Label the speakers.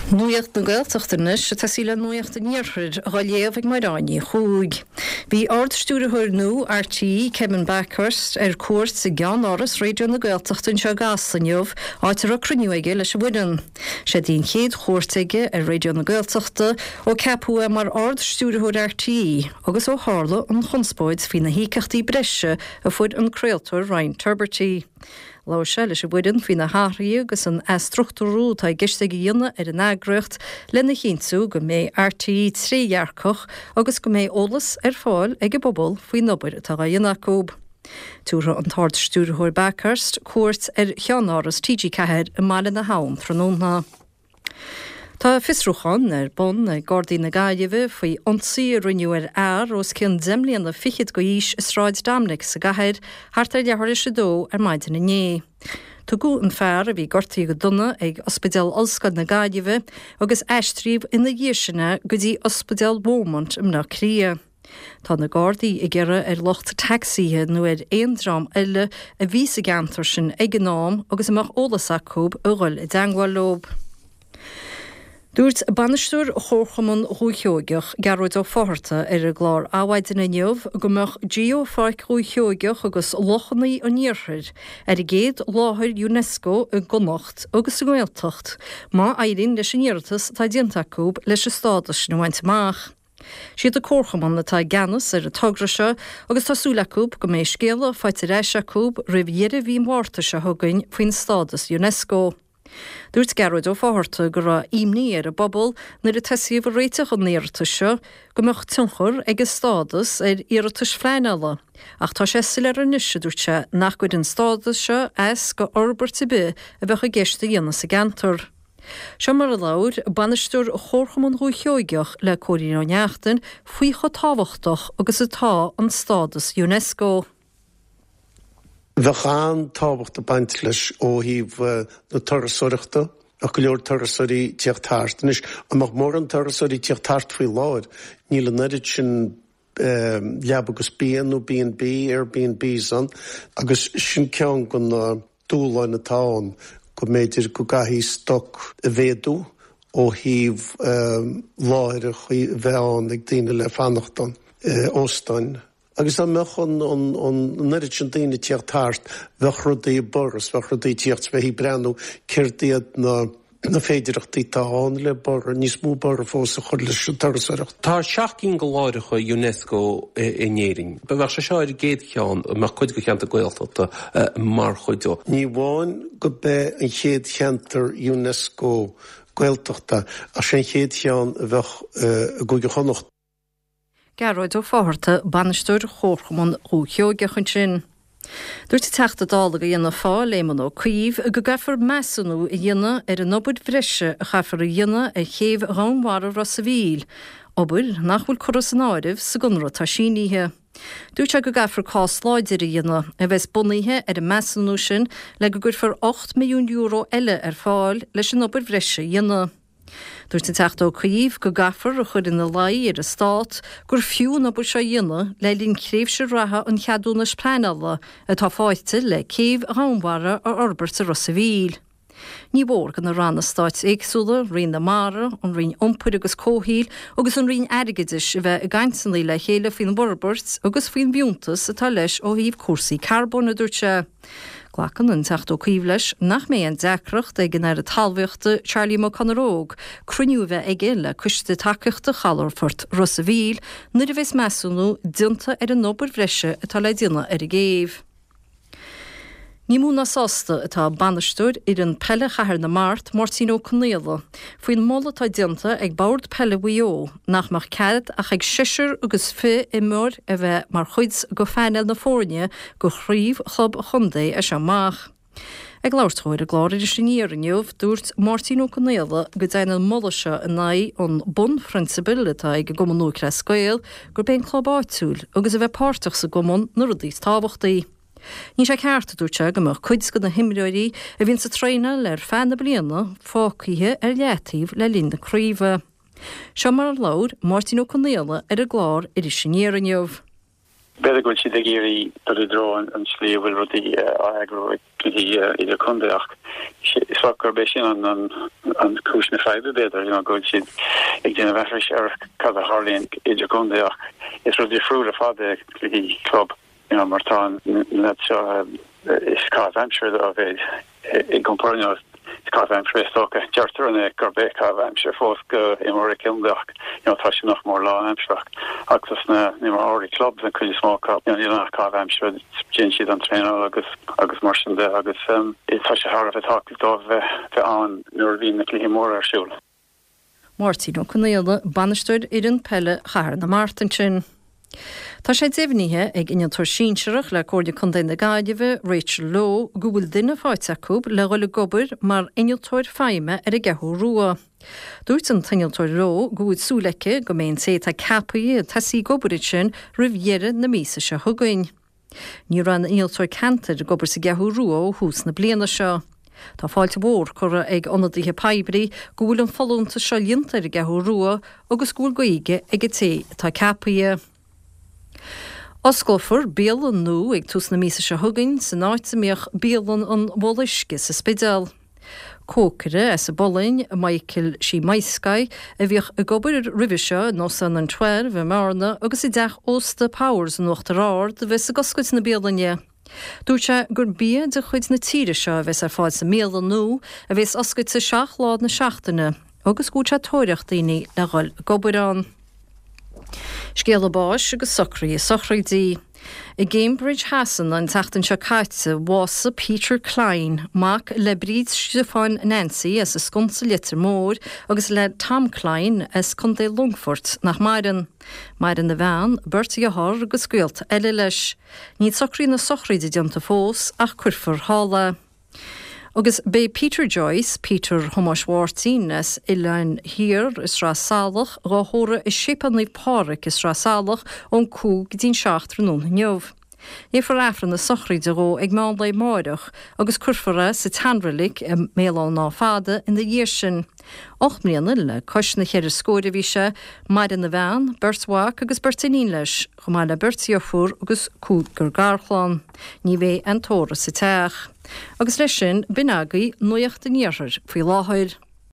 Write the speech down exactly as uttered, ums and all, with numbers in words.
Speaker 1: Nuacht na Gaeltachta anois atá sí le Nuacht an Iarthair á léamh ag Máire Ní Chuaig. Bhí Ard-Stiúrthóir nua RTÉ Kevin Bakhurst ar cuairt i gceannáras Raidió na Gaeltachta anseo i gCasla inniu, áit a raibh cruinniú aige leis an bhfoireann. Sé an chéad chuairt aige ar Raidió na Gaeltachta ó ceapadh é mar Ard-Stiúrthóir RTÉ agus ó tharla an chonspóid faoi na híocaíochtaí breise a fuair an craoltóir Ryan Tubridy. Labhair sé leis an bhfoireann faoi na hathruithe agus an athstruchtúrú atá i gceist aige a dhéanamh ar an eagraíocht lena chinntiú go mbeidh RTÉ trédhearcach agus go mbeidh eolas ar fáil ag an bpobal faoin obair atá á dhéanamh acu. Tabharfaidh an tArd-Stiúrthóir Bakhurst cuairt ar cheannáras TG Ceathair i mBaile na hAbhann tráthnóna. Tá fiosrúchán ar bun ag Gardaí na Gaillimhe faoi ionsaí a rinneadh ar fhear os cionn deich mbliana fichead d'aois i Sráid Dominic sa gcathair thart ar leathuair tar éis a dó ar maidin inné. Tugadh an fear a bhí gortaithe go dona ag Ospidéal Ollscoil na Gaillimhe agus aistríodh ina dhiaidh sin é go dtí Ospidéal Beaumont i mBleá Cliath. Tá na Gardaí ag iarraidh ar lucht tacsaithe nó ar aon dream eile a bhí sa gceantar sin ag an am agus a mbeadh eolas acu a dhul i dteagmháil leo. Dúirt bainisteoir Chomharchumann Dhúiche Sheoigeach Gearóid Ó Fátharta ar an gclár Adhmhaidin inniu go mbeadh Geopháirc Dhúiche Sheoigeach agus Lochanna an Iarthair ar an gcéad láthair UNESCO i gConnacht agus sa nGaeltacht má éiríonn leis an iarratas atá déanta acu leis an stádas sin a bhaint amach. Siad an Comharchumann atá i gceannas ar an togra seo agus tá súil acu go mbeidh scéala faighte ar ais acu roimh dheireadh mhí Mhárta seo chugainn faoin stádas UNESCO. Dúirt Gearóid Ó Fátharta go raibh imní ar an bpobal nuair a tosaíodh ag réiteach an iarratais seo go mbeadh tionchar ag an stádas ar iarratais phleanála, ach tá sé soiléir anois a dúirt sé nach gcuireann an stádas seo as go fhorbairt ar bith a bheadh i gceist a dhéanamh sa gceantar. Seo mar a labhair bainisteoir Chomharchumann Dhúiche Sheoigeach le Cóilín Ó Neachtain faoi chomh tábhachtach agus atá an stádas UNESCO.
Speaker 2: Bheadh an-tábhacht ag baint leis ó thaobh na turasóireachta ach go leor turasóirí teacht thart. Anois an mbeadh mórán turasóirí teacht thart faoi láthair, níl an oiread sin leaba agus bia nó B and B, Airbnbs ann, agus sin ceann de na dúshláin atá ann go mb'fhéidir go gcaithfidh stoc a mhéadú ó thaobh láithreacha a bheith ann ag daoine le fanacht ann, óstáin. Agus dá mbeadh an an oiread sin daoine teacht thart, bheadh rudaí ag borradh, bheadh rudaí teacht bheith ag breathnú céard iad na na féidearthachtaí atá ann le borradh níos mó borradh fós a chur leis an turasóireacht.
Speaker 3: Tá seacht gcinn de láithreacha UNESCO in Éirinn. Ba bheadh sé seo ar an gcéad cheann a mbeadh cuid de cheantar Gaeltachta mar chuid de.
Speaker 2: Ní amháin go mbeidh an chéad cheantar UNESCO Gaeltachta ach sé an chéad cheann a bheadh i gCúige Chonnacht.
Speaker 1: Gearóid Ó Fátharta, bainisteoir Chomharchumann Dhúiche Sheoigeach ansin. Dúirt an Teachta Dála do Fhianna Fáil Éamon Ó Cuív go gcaithfear measúnú a dhéanamh ar an obair bhreise a chaithfear a dhéanamh ar chéibh Dhomhanmhara Ros an Mhíl, obair nach bhfuil curtha san áireamh sa gconradh atá sínithe. Dúirt sé go gcaithfear cás láidir a dhéanamh a bheas bunaithe ar an measúnú sin le go gcuirfear ocht milliún euro eile ar fáil leis an obair bhreise a dhéanamh. Dúirt an Teachta Ó Cuív go gcaithfear a chur ina luí ar an stát gur fiú an obair seo a dhéanamh le linn tréimhse reatha an cheadúnais pleanála atá faighte le céibh Dhomhanmhara a fhorbairt i Ros an Mhíl. Ní mór do na ranna stáit éagsúla, Roinn na Mara, an Roinn Iompair agus Comhshaoil agus an Roinn Airgeadais a bheith i gcainteanna le chéile faoin bhforbairt agus faoin bhfiúntas atá leis ó thaobh cúrsaí carbóin a dúirt sé. Glacann an Teachta Ó Cuív leis nach mbeidh aon deacracht ag an Aire Talmhaíochta Charlie McConalogue cruinniú a bheith aige le coiste tacaíochta chalafort Ros an Mhíl nuair a bheas measúnú déanta ar an obair bhreise atá le déanamh ar an gcéibh. Ní mó ná sásta atá bainisteoir fhoireann peile Chathair na Mart, Máirtín Ó Conaola, faoin moladh atá déanta ag Bord Peile Mhaigh Eo nach mbeadh cead ach ag seisear agus fiche imreoir a bheith mar chuid de phainéal na foirne do chraobh chlub an chontae as seo amach. Ag labhairt dó ar an gclár Iris Aniar inniu, dúirt Máirtín Ó Conaola go dtéann an moladh seo in aghaidh an bunphrionsabail atá ag an gCumann Lúthchleas Gael gurb é an club áitiúil agus a bheith páirteach sa gcumann na rudaí is tábhachtaí. Ní sé ceart dúirt sé go mbeadh cuid de na himreoirí a bhíonn ag traenáil ar feadh na bliana fágtha ar leataobh le linn na craoibhe. Seo mar a labhair Máirtín Ó Conaola ar an gclár Iris Aniar inniu.
Speaker 4: B'fhéidir go bhfuil siad ag iarraidh dul i dtreo an tslí a bhfuil rudaí á eagrú ag cluichí idirchontae ach is dócha gurb é sin an an an cúis na faidhbe b'fhéidir you know, go bhfuil siad ag déanamh aithris ar cad a tharlaíonn idirchontae ach is rud difriúil ar fad é cluichí club you know, mar tá na lads seo is caitheamh aimsire a bheidh i gcomparáid is caitheamh aimsire is dócha deirtear an é gurb é caitheamh aimsire fós go imreoirí contae ach you know, tá sé nach mór lánaimsearach agus na imreoirí clubs an chuid is mó acu you know, níl nach caitheamh aimsire déanann siad an traenáil agus agus mar sin de agus um, tá sé thar a bheith tábhachtach dóibh bheith bheith ann nuair a bhíonn na cluichí móra ar siúl.
Speaker 1: Máirtín Ó Conaola, bainisteoir fhoireann peile Chathair na Mart ansin. Tá sé deimhnithe ag innealtóir sinsearach le Comhairle Contae na Gaillimhe, Rachel Lowe, go bhfuil duine faighte acu le dhul ag obair mar innealtóir feidhme ar an gCeathrú Rua. Dúirt an t-innealtóir Lowe go bhfuil súil aici go mbeidh an té atá ceaptha ag tosaí ag obair ansin roimh dheireadh na míosa seo chugainn. Ní raibh aon innealtóir ceantair ag obair sa gCeathrú Rua ó thús na bliana seo. Tá fáilte mhór curtha ag ionadaithe poiblí go bhfuil an folúntas seo líonta ar an gCeathrú Rua agus go bhfuil Gaeilge ag an té atá ceaptha. Osclófar bialann nua ag tús na míosa seo chugainn san áit a mbíodh bialann an Mhullach Uisce sa Spidéal. Cócaire as an bPolainn, Michael Simaiskai, a bhíodh ag obair roimhe seo in Óstán an Twelve i mBearna agus i dteach ósta Powers in Uachtar Ard a bheas ag oscailt na bialainne. Dúirt sé gur bia de chuid na tíre seo a bheas ar fáil sa mbialann nua a bheas oscailte seacht lá na seachtaine agus go bhfuil sé ag tóraíocht daoine le dhul ag obair ann. Scéala báis agus socruithe sochraide. I gCambridge Shasana an tseachtain seo caite bhásaigh Peter Klein, mac le Bríd Stiofáin Nancy as an Sconsa Leitir Móir agus le Tom Klein as Contae Longfoirt nach maireann. Maireann a bhean, beirt dhearthár agus gaolta eile leis. Níl socruithe na sochraide déanta fós ach cuirfear thall é. Agus beidh Peter Joyce, Peter Thomáis Mháirtín as Oileán Thiar i Sraith Salach, dhá thórramh i Séipéal Naomh Pádraig i Sraith Salach ón cúig go dtí'n seacht tráthnóna inniu. Léifear Aifreann na sochraide dhó ag meán lae amárach agus cuirfear é sa tseanreilig i mBéal Átha an Átha Fada ina dhiaidh sin. Ocht mbliana le cois na cheithre scór a bhí sé, maireann a bhean, beirt mhac agus beirt iníon leis, chomh maith le beirt dheirfiúr agus cúigear garchlann. Ní bheidh aon tórramh sa teach. Agus leis sin, b'in agaibh Nuacht an Iarthair faoi láthair.